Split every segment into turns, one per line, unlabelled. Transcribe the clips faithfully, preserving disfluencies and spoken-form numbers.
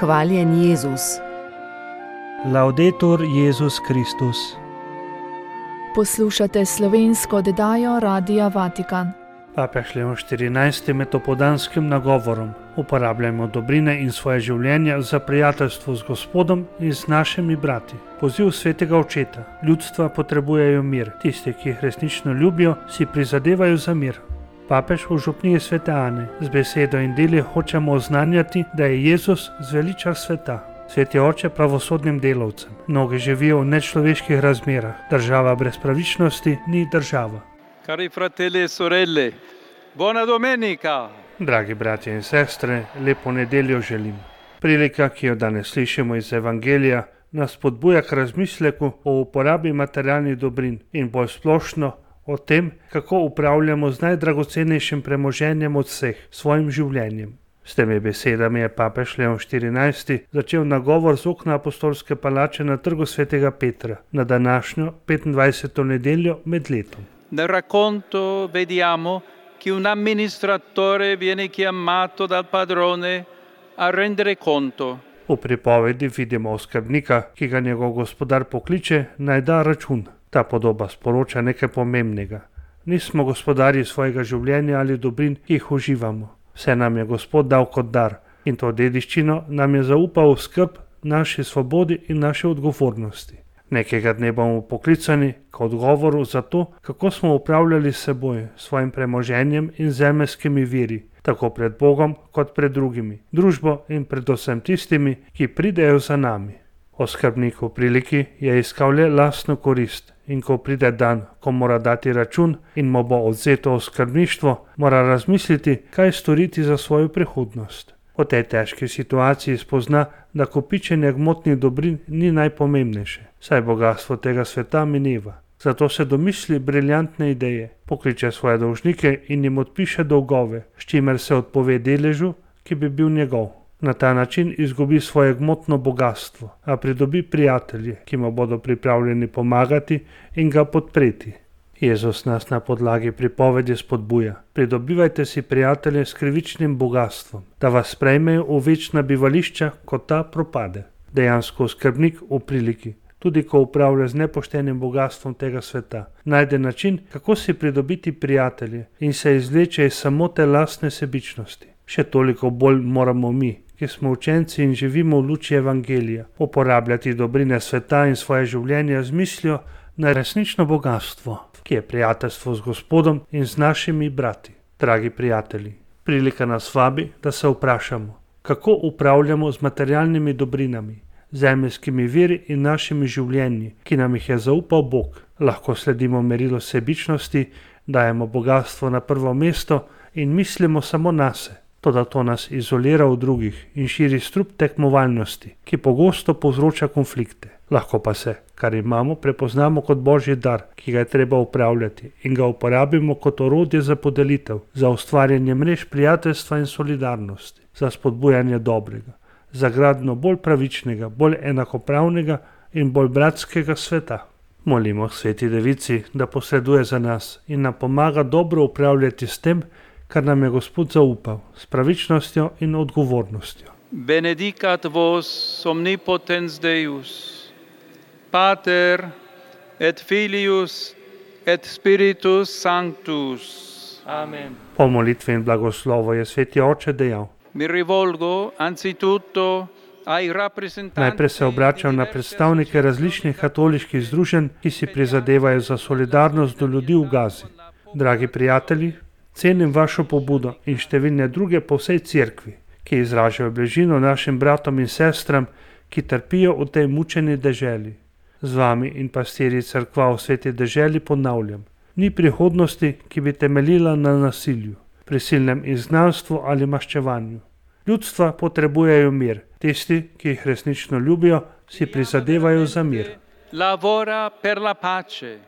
Hvaljen Jezus.
Laudetur Jezus Kristus.
Poslušate slovensko oddajo Radia Vatikan.
Papež Leon štirinajsti med opoldanskim nagovorom: uporabljajmo dobrine in svoje življenje za prijateljstvo z Gospodom in z našimi brati. Poziv svetega očeta: ljudstva potrebujejo mir, tisti, ki jih resnično ljubijo, si prizadevajo za mir. Papež v župniji svete Ane: z besedo in deli hočemo oznanjati, da je Jezus zveličar sveta. Sveti oče pravosodnim delavcem: mnogi živijo v nečloveških razmerah, država brez pravičnosti ni država.
Cari fratelli e sorelle, buona domenica!
Dragi bratje in sestre, lepo nedeljo želim. Prilika, ki jo danes slišimo iz Evangelija, nas spodbuja k razmisleku o uporabi materialnih dobrin in bolj splošno o tem, kako upravljamo z najdragocenejšim premoženjem od vseh, svojim življenjem. S temi besedami je papež Leon štirinajsti začel nagovor z okna apostolske palače na trgu svetega Petra na današnjo petindvajseto nedeljo med letom.
Nel racconto vediamo che un amministratore viene chiamato dal padrone a rendere conto.
V pripovedi vidimo oskrbnika, ki ga njegov gospodar pokliče, naj da račun. Ta podoba sporoča nekaj pomembnega. Nismo gospodarji svojega življenja ali dobrin, ki jih uživamo. Vse nam je Gospod dal kot dar in to dediščino nam je zaupal v skrb naši svobodi in naše odgovornosti. Nekega dne bomo poklicani k odgovoru za to, kako smo upravljali s seboj, svojim premoženjem in zemeljskimi viri, tako pred Bogom kot pred drugimi, družbo in predvsem tistimi, ki pridejo za nami. Oskrbnik v priliki je iskal le lastno korist in ko pride dan, ko mora dati račun in mu bo odvzeto oskrbništvo, mora razmisliti, kaj storiti za svojo prihodnost. V tej težki situaciji spozna, da kopičenje gmotnih dobrin ni najpomembnejše, saj bogastvo tega sveta mineva. Zato se domisli briljantne ideje, pokliče svoje dolžnike in jim odpiše dolgove, s čimer se odpove deležu, ki bi bil njegov. Na ta način izgubi svoje gmotno bogastvo, a pridobi prijatelje, ki mu bodo pripravljeni pomagati in ga podpreti. Jezus nas na podlagi pripovedi spodbuja: pridobivajte si prijatelje s krivičnim bogastvom, da vas sprejmejo v večna bivališča, ko ta propade. Dejansko skrbnik v priliki, tudi ko upravlja z nepoštenim bogastvom tega sveta, najde način, kako si pridobiti prijatelje in se izvleče iz samote lastne sebičnosti. Še toliko bolj moramo mi, ki smo učenci in živimo v luči Evangelija, uporabljati dobrine sveta in svoje življenje z mislijo na resnično bogastvo, ki je prijateljstvo z Gospodom in z našimi brati. Dragi prijatelji, prilika nas vabi, da se vprašamo, kako upravljamo z materialnimi dobrinami, zemeljskimi viri in našimi življenji, ki nam jih je zaupal Bog. Lahko sledimo merilu sebičnosti, dajemo bogastvo na prvo mesto in mislimo samo nase. Toda to nas izolira od drugih in širi strup tekmovalnosti, ki pogosto povzroča konflikte. Lahko pa se, kar imamo, prepoznamo kot božji dar, ki ga je treba upravljati in ga uporabimo kot orodje za podelitev, za ustvarjanje mrež prijateljstva in solidarnosti, za spodbujanje dobrega, za gradnjo bolj pravičnega, bolj enakopravnega in bolj bratskega sveta. Molimo sveti devici, da posreduje za nas in nam pomaga dobro upravljati s tem, kar nam je Gospod zaupal, s pravičnostjo in odgovornostjo.
Benedicat vos omnipotens Deus, Pater et Filius et Spiritus Sanctus. Amen.
Po molitvi in blagoslovu je sveti oče dejal:
Mi rivolgo anzitutto ai rappresentanti.
Najprej se obračam na predstavnike različnih katoliških združenj, ki si prizadevajo za solidarnost do ljudi v Gazi. Dragi prijatelji, cenim vašo pobudo in številne druge po vsej cerkvi, ki izražajo bližino našim bratom in sestram, ki trpijo v tej mučeni deželi. Z vami in pastirji cerkva v sveti deželi ponavljam: ni prihodnosti, ki bi temeljila na nasilju, prisilnem izgnanstvu ali maščevanju. Ljudstva potrebujejo mir, tisti, ki jih resnično ljubijo, si prizadevajo za mir.
Lavora per la pace.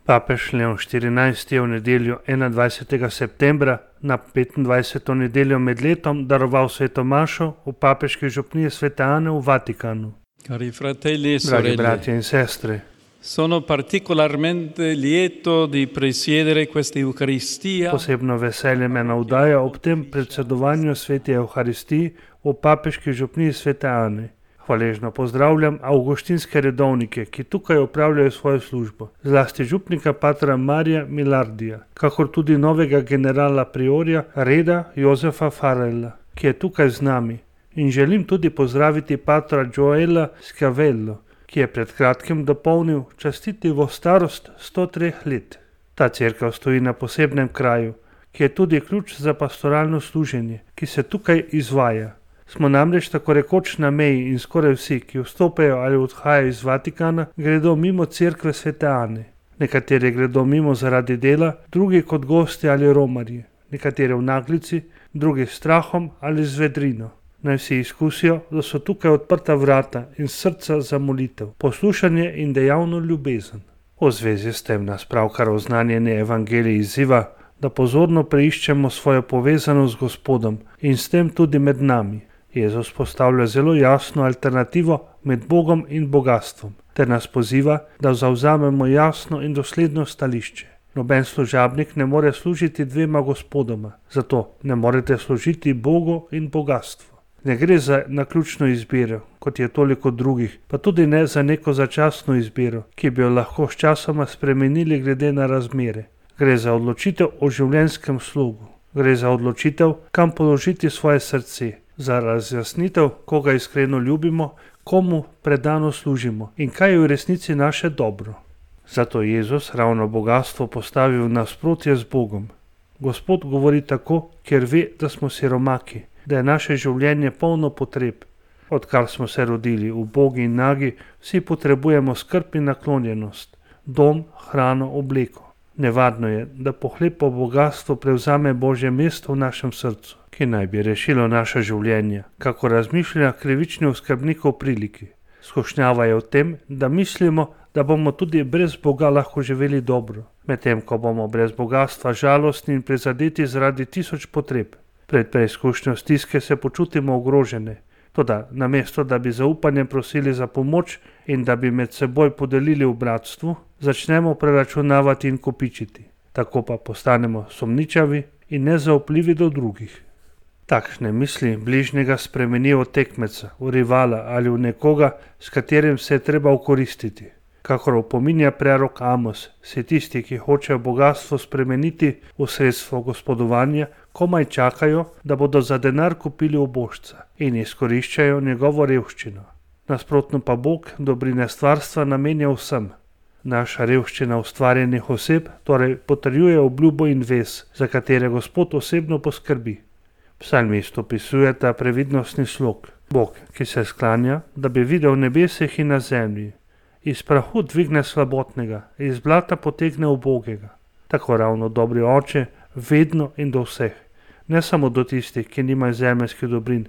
Papež Leon štirinajsti je v nedeljo enaindvajsetega septembra na petindvajseto nedeljo med letom daroval sveto mašo v papeški župniji svete Ane v Vatikanu.
Cari fratelli e
Dragi
sorelle,
bratje in sestre,
Sono particolarmente lieto di presiedere questa Eucaristia.
Posebno veselje me navdaja ob tem predsedovanju sveti Evharistiji v papeški župniji svete Ane. Hvaležno pozdravljam avguštinske redovnike, ki tukaj opravljajo svojo službo, zlasti župnika patra Marija Milardija, kakor tudi novega generala priorja Reda Jozefa Farrella, ki je tukaj z nami. In želim tudi pozdraviti patra Joela Schiavello, ki je pred kratkim dopolnil častitivo starost sto treh let. Ta cerkev stoji na posebnem kraju, ki je tudi ključ za pastoralno služenje, ki se tukaj izvaja. Smo namreč tako rekoč na meji in skoraj vsi, ki vstopajo ali odhajajo iz Vatikana, gredo mimo cerkve svete Ane. Nekateri gredo mimo zaradi dela, drugi kot gosti ali romarji, nekateri v naglici, drugi s strahom ali z vedrino. Naj vsi izkusijo, da so tukaj odprta vrata in srca za molitev, poslušanje in dejavno ljubezen. V zvezi s tem nas pravkar oznanjeni evangelij izziva, da pozorno preiščemo svojo povezanost z Gospodom in s tem tudi med nami. Jezus postavlja zelo jasno alternativo med Bogom in bogastvom, ter nas poziva, da zavzamemo jasno in dosledno stališče. Noben služabnik ne more služiti dvema gospodoma, zato ne morete služiti Bogu in bogastvu. Ne gre za naključno izbiro, kot je toliko drugih, pa tudi ne za neko začasno izbiro, ki bi jo lahko sčasoma spremenili glede na razmere. Gre za odločitev o življenjskem slogu. Gre za odločitev, kam položiti svoje srce, za razjasnitev, koga iskreno ljubimo, komu predano služimo in kaj je v resnici naše dobro. Zato Jezus ravno bogastvo postavi v nasprotje z Bogom. Gospod govori tako, ker ve, da smo siromaki, da je naše življenje polno potreb. Odkar smo se rodili v bogi in nagi, vsi potrebujemo skrb in naklonjenost, dom, hrano, obleko. Nevarno je, da pohlepo bogastvo prevzame Božje mesto v našem srcu, ki naj bi rešilo naše življenje, kako razmišlja krivični oskrbnik o priliki. Skušnjava je v tem, da mislimo, da bomo tudi brez Boga lahko živeli dobro, medtem ko bomo brez bogatstva žalostni in prizadeti zaradi tisoč potreb. Pred preizkušnjo stiske se počutimo ogrožene, toda namesto da bi zaupanjem prosili za pomoč in da bi med seboj podelili v bratstvu, začnemo preračunavati in kopičiti. Tako pa postanemo sumničavi in nezaupljivi do drugih. Takšne misli bližnjega spremenijo v tekmeca, v rivala ali v nekoga, s katerim se je treba ukoristiti. Kakor opominja prerok Amos, se tisti, ki hočejo bogatstvo spremeniti v sredstvo gospodovanja, komaj čakajo, da bodo za denar kupili ubožca in izkoriščajo njegovo revščino. Nasprotno pa Bog dobrine stvarstva namenja vsem. Naša revščina ustvarjenih oseb torej potrjuje obljubo in vez, za katere Gospod osebno poskrbi. Psalmist opisuje ta previdnostni slog. Bog, ki se sklanja, da bi videl nebesih in na zemlji. Iz prahu dvigne slabotnega, iz blata potegne ubogega. Tako ravno dobri oče, vedno in do vseh. Ne samo do tistih, ki nimajo zemeljskih dobrin,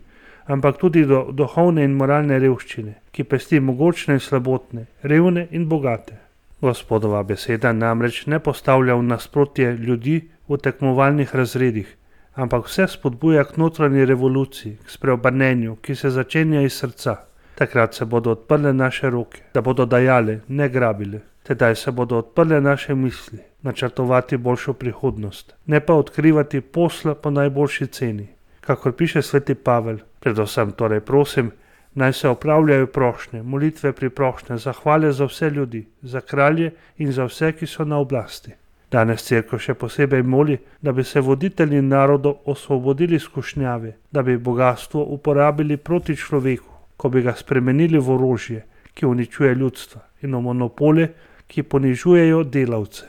ampak tudi do duhovne in moralne revščine, ki pesti mogočne in slabotne, revne in bogate. Gospodova beseda namreč ne postavlja v nasprotje ljudi v tekmovalnih razredih, ampak vse spodbuja k notranji revoluciji, k spreobrnenju, ki se začenja iz srca. Takrat se bodo odprle naše roke, da bodo dajale, ne grabile. Tedaj se bodo odprle naše misli, načrtovati boljšo prihodnost, ne pa odkrivati posla po najboljši ceni. Kakor piše sveti Pavel, predvsem torej prosim, naj se opravljajo prošnje, molitve pri prošnje, zahvale za vse ljudi, za kralje in za vse, ki so na oblasti. Danes cerkev še posebej moli, da bi se voditelji narodov osvobodili skušnjave, da bi bogatstvo uporabili proti človeku, ko bi ga spremenili v orožje, ki uničuje ljudstva, in v monopole, ki ponižujejo delavce.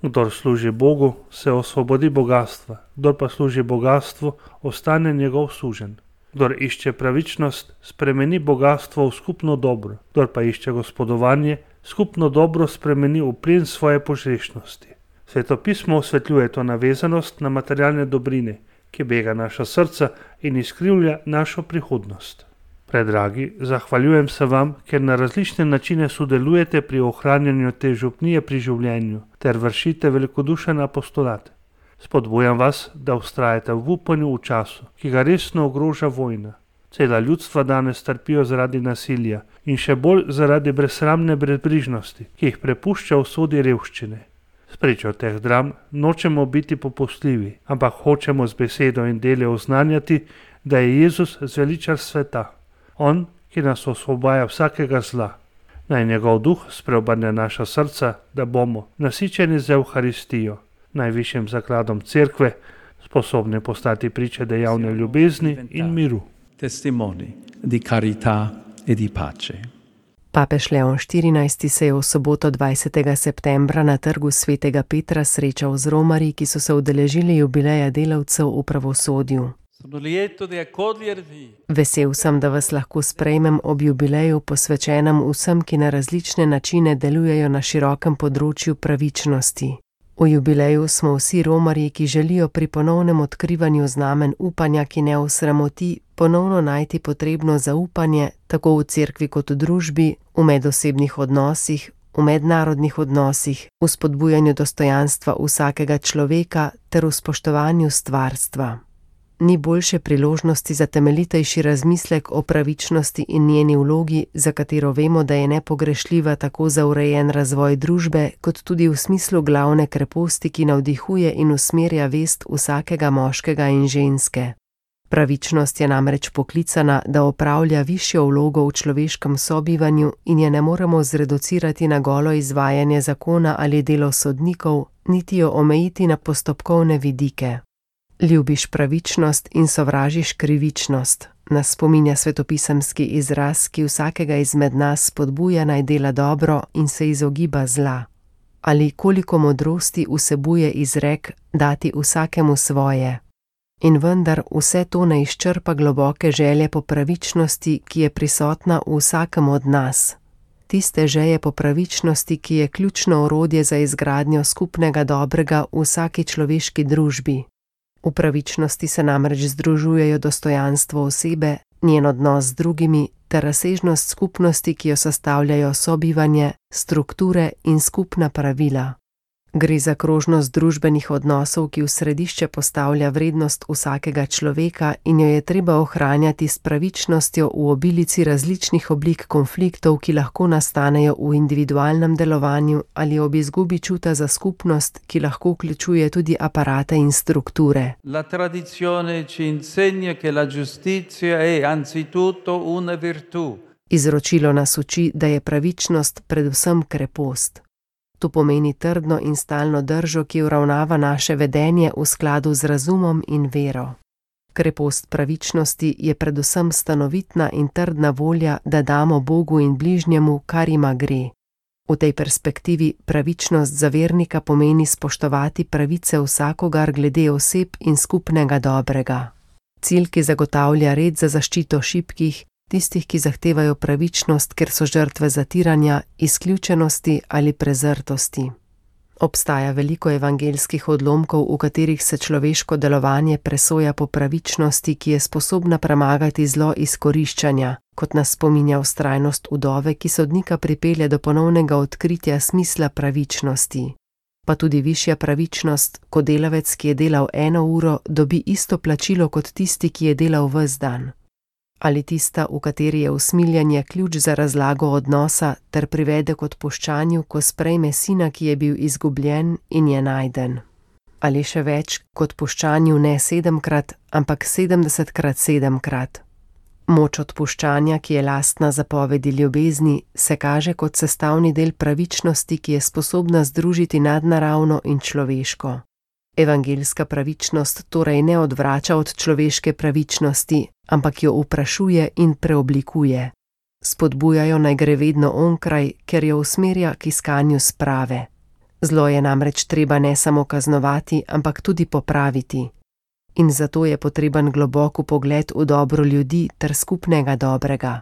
Kdor služi Bogu, se osvobodi bogatstva, kdor pa služi bogatstvu, ostane njegov suženj. Kdor išče pravičnost, spremeni bogatstvo v skupno dobro, kdor pa išče gospodovanje, skupno dobro spremeni v plen svoje požrešnosti. Svetopismo osvetljuje to navezanost na materialne dobrine, ki bega naša srca in izkrivlja našo prihodnost. Predragi, zahvaljujem se vam, ker na različne načine sodelujete pri ohranjanju te župnije pri življenju ter vršite velikodušen apostolat. Spodbujam vas, da vztrajate v upanju v času, ki ga resno ogroža vojna. Cela ljudstva danes trpijo zaradi nasilja in še bolj zaradi brezsramne brezbrižnosti, ki jih prepušča usodi revščine. Spričo teh dram nočemo biti popustljivi, ampak hočemo z besedo in dele oznanjati, da je Jezus zveličar sveta. On, ki nas osvobaja vsakega zla. Naj njegov duh spreobrne naša srca, da bomo, nasičeni z Evharistijo, najvišjim zakladom cerkve, sposobni postati priče dejavne ljubezni in miru.
Testimoni di carità e di pace.
Papež Leon štirinajsti se je v soboto dvajsetega septembra na trgu svetega Petra srečal z romarji, ki so se udeležili jubileja delavcev v pravosodju. Vesel sem, da vas lahko sprejmem ob jubileju posvečenem vsem, ki na različne načine delujejo na širokem področju pravičnosti. V jubileju smo vsi romarji, ki želijo pri ponovnem odkrivanju znamen upanja, ki ne osramoti, ponovno najti potrebno zaupanje, tako v cerkvi kot v družbi, v medosebnih odnosih, v mednarodnih odnosih, v spodbujanju dostojanstva vsakega človeka ter v spoštovanju stvarstva. Ni boljše priložnosti za temeljitejši razmislek o pravičnosti in njeni vlogi, za katero vemo, da je nepogrešljiva tako za urejen razvoj družbe, kot tudi v smislu glavne kreposti, ki navdihuje in usmerja vest vsakega moškega in ženske. Pravičnost je namreč poklicana, da opravlja višjo vlogo v človeškem sobivanju in je ne moremo zreducirati na golo izvajanje zakona ali delo sodnikov, niti jo omejiti na postopkovne vidike. Ljubiš pravičnost in sovražiš krivičnost, nas spominja svetopisemski izraz, ki vsakega izmed nas spodbuja naj dela dobro in se izogiba zla. Ali koliko modrosti vsebuje izrek dati vsakemu svoje. In vendar vse to ne izčrpa globoke želje po pravičnosti, ki je prisotna v vsakem od nas. Tiste želje po pravičnosti, ki je ključno orodje za izgradnjo skupnega dobrega v vsaki človeški družbi. V pravičnosti se namreč združujejo dostojanstvo osebe, njen odnos z drugimi ter razsežnost skupnosti, ki jo sestavljajo sobivanje, strukture in skupna pravila. Gre za krožnost družbenih odnosov, ki v središče postavlja vrednost vsakega človeka in jo je treba ohranjati s pravičnostjo v obilici različnih oblik konfliktov, ki lahko nastanejo v individualnem delovanju ali ob izgubi čuta za skupnost, ki lahko vključuje tudi aparate in strukture.
La tradizione ci insegna che la giustizia è anzitutto una virtù.
Izročilo nas uči, da je pravičnost predvsem krepost. To pomeni trdno in stalno držo, ki uravnava naše vedenje v skladu z razumom in vero. Krepost pravičnosti je predvsem stanovitna in trdna volja, da damo Bogu in bližnjemu, kar ima gre. V tej perspektivi pravičnost za vernika pomeni spoštovati pravice vsakogar glede oseb in skupnega dobrega. Cilj, ki zagotavlja red za zaščito šibkih, tistih, ki zahtevajo pravičnost, ker so žrtve zatiranja, izključenosti ali prezrtosti. Obstaja veliko evangeljskih odlomkov, v katerih se človeško delovanje presoja po pravičnosti, ki je sposobna premagati zlo izkoriščanja, kot nas spominja vztrajnost vdove, ki sodnika pripelje do ponovnega odkritja smisla pravičnosti. Pa tudi višja pravičnost, ko delavec, ki je delal eno uro, dobi isto plačilo kot tisti, ki je delal ves dan. Ali tista, v kateri je usmiljanje ključ za razlago odnosa ter privede k odpuščanju, ko sprejme sina, ki je bil izgubljen in je najden. Ali še več, k odpuščanju ne sedemkrat, ampak sedemdesetkrat sedemkrat. Moč odpuščanja, ki je lastna zapovedi ljubezni, se kaže kot sestavni del pravičnosti, ki je sposobna združiti nadnaravno in človeško. Evangeljska pravičnost torej ne odvrača od človeške pravičnosti, ampak jo vprašuje in preoblikuje. Spodbujajo naj gre vedno onkraj, ker jo usmerja k iskanju sprave. Zlo je namreč treba ne samo kaznovati, ampak tudi popraviti. In zato je potreben globok vpogled v dobro ljudi ter skupnega dobrega.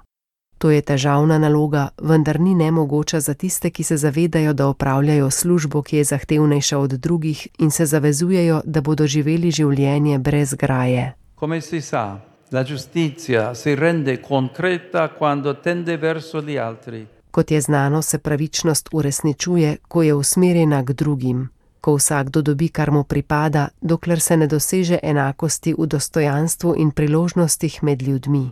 To je težavna naloga, vendar ni nemogoča za tiste, ki se zavedajo, da opravljajo službo, ki je zahtevnejša od drugih in se zavezujejo, da bodo živeli življenje brez graje.
Come si sa, la giustizia si rende concreta quando tende verso gli altri.
Kot je znano, se pravičnost uresničuje, ko je usmerjena k drugim, ko vsakdo dobi, kar mu pripada, dokler se ne doseže enakosti v dostojanstvu in priložnostih med ljudmi.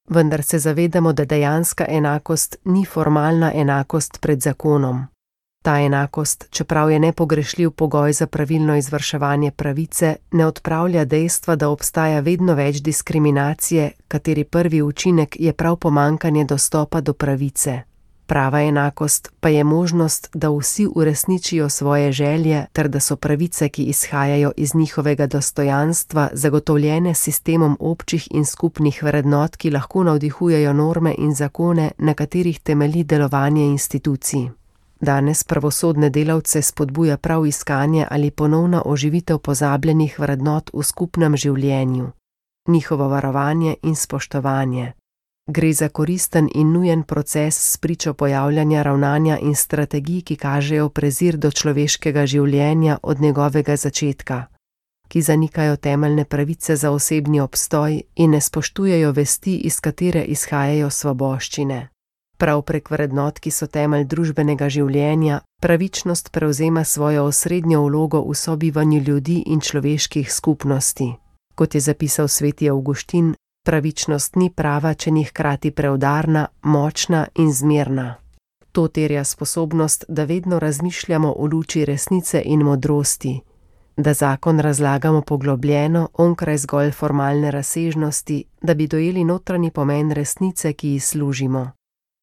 Vendar se zavedamo, da dejanska enakost ni formalna enakost pred zakonom. Ta enakost, čeprav je nepogrešljiv pogoj za pravilno izvrševanje pravice, ne odpravlja dejstva, da obstaja vedno več diskriminacije, kateri prvi učinek je prav pomanjkanje dostopa do pravice. Prava enakost pa je možnost, da vsi uresničijo svoje želje ter da so pravice, ki izhajajo iz njihovega dostojanstva, zagotovljene s sistemom občih in skupnih vrednot, ki lahko navdihujejo norme in zakone, na katerih temelji delovanje institucij. Danes pravosodne delavce spodbuja prav iskanje ali ponovna oživitev pozabljenih vrednot v skupnem življenju, njihovo varovanje in spoštovanje. Gre za koristen in nujen proces spričo pojavljanja ravnanja in strategij, ki kažejo prezir do človeškega življenja od njegovega začetka, ki zanikajo temeljne pravice za osebni obstoj in ne spoštujejo vesti, iz katere izhajajo svoboščine. Prav prek vrednot, ki so temelj družbenega življenja, pravičnost prevzema svojo osrednjo vlogo v sobivanju ljudi in človeških skupnosti. Kot je zapisal sveti Avguštin, pravičnost ni prava, če ni hkrati preudarna, močna in zmerna. To terja sposobnost, da vedno razmišljamo v luči resnice in modrosti, da zakon razlagamo poglobljeno, onkraj zgolj formalne razsežnosti, da bi dojeli notranji pomen resnice, ki ji služimo.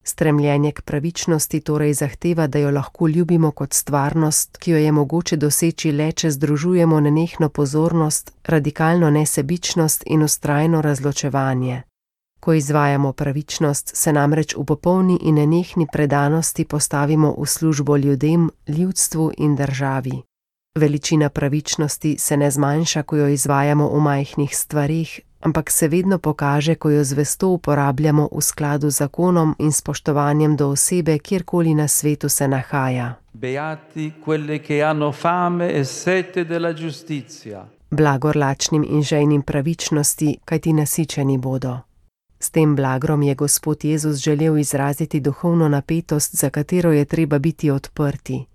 Stremljenje k pravičnosti torej zahteva, da jo lahko ljubimo kot stvarnost, ki jo je mogoče doseči le, če združujemo nenehno pozornost, radikalno nesebičnost in vztrajno razločevanje. Ko izvajamo pravičnost, se namreč v popolni in nenehni predanosti postavimo v službo ljudem, ljudstvu in državi. Veličina pravičnosti se ne zmanjša, ko jo izvajamo v majhnih stvareh, ampak se vedno pokaže, ko jo zvesto uporabljamo v skladu z zakonom in spoštovanjem do osebe, kjerkoli na svetu se nahaja.
Beati quelle che hanno fame e sete della giustizia.
Blagor lačnim in žejnim pravičnosti, kajti nasičeni bodo. S tem blagrom je Gospod Jezus želel izraziti duhovno napetost, za katero je treba biti odprti.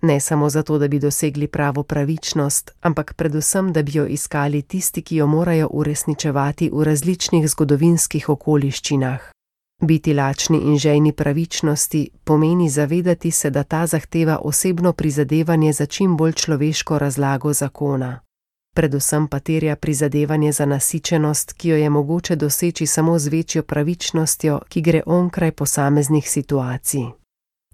Ne samo zato, da bi dosegli pravo pravičnost, ampak predvsem, da bi jo iskali tisti, ki jo morajo uresničevati v različnih zgodovinskih okoliščinah. Biti lačni in žejni pravičnosti pomeni zavedati se, da ta zahteva osebno prizadevanje za čim bolj človeško razlago zakona. Predvsem pa terja prizadevanje za nasičenost, ki jo je mogoče doseči samo z večjo pravičnostjo, ki gre onkraj posameznih situacij.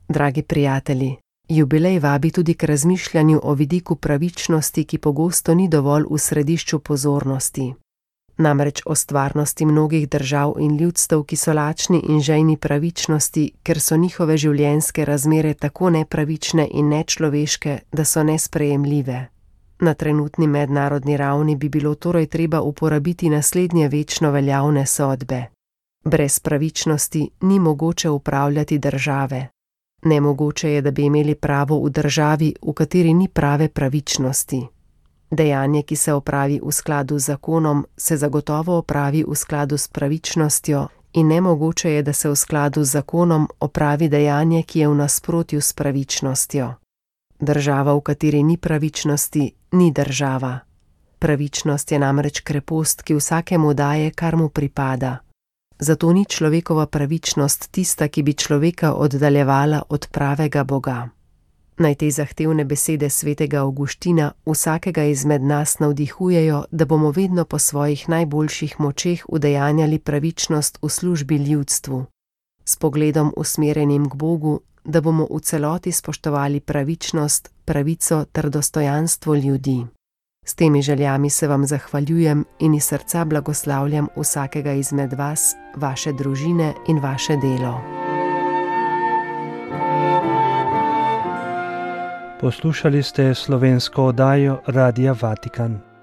Dragi prijatelji, jubilej vabi tudi k razmišljanju o vidiku pravičnosti, ki pogosto ni dovolj v središču pozornosti. Namreč o stvarnosti mnogih držav in ljudstev, ki so lačni in žejni pravičnosti, ker so njihove življenjske razmere tako nepravične in nečloveške, da so nesprejemljive. Na trenutni mednarodni ravni bi bilo torej treba uporabiti naslednje večno veljavne sodbe. Brez pravičnosti ni mogoče upravljati države. Nemogoče je, da bi imeli pravo v državi, v kateri ni prave pravičnosti. Dejanje, ki se opravi v skladu z zakonom, se zagotovo opravi v skladu s pravičnostjo in nemogoče je, da se v skladu z zakonom opravi dejanje, ki je v nasprotju s pravičnostjo. Država, v kateri ni pravičnosti, ni država. Pravičnost je namreč krepost, ki vsakemu daje, kar mu pripada. Zato ni človekova pravičnost tista, ki bi človeka oddaljevala od pravega Boga. Naj te zahtevne besede svetega Avguština vsakega izmed nas navdihujejo, da bomo vedno po svojih najboljših močeh udejanjali pravičnost v službi ljudstvu. S pogledom usmerjenim k Bogu, da bomo v celoti spoštovali pravičnost, pravico ter dostojanstvo ljudi. S temi željami se vam zahvaljujem in iz srca blagoslavljam vsakega izmed vas, vaše družine in vaše delo.
Poslušali ste slovensko oddajo Radia Vatikan.